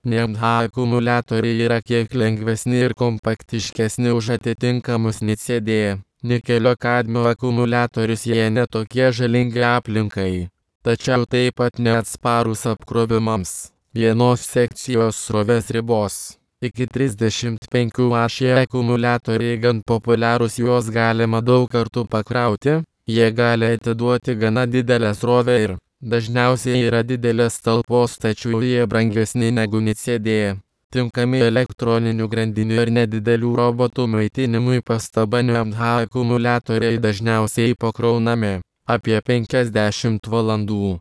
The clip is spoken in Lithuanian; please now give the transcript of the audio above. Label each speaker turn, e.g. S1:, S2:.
S1: NMH akumuliatoriai yra kiek lengvesni ir kompaktiškesni už atitinkamus NiCd. Nikelio kadmio akumuliatorius jie netokie žalingi aplinkai, tačiau taip pat neatsparūs apkrovimams. Vienos sekcijos srovės ribos. Iki 35 A šie akumuliatoriai gan populiarūs, juos galima daug kartų pakrauti, jie gali atiduoti gana didelę srovę ir dažniausiai yra didelės talpos, tačiau jie brangesni negu NiCd. Tinkami elektroninių grandinių ir nedidelių robotų maitinimui. Pastaba: NMH akumuliatoriai dažniausiai pakraunami apie 50 valandų.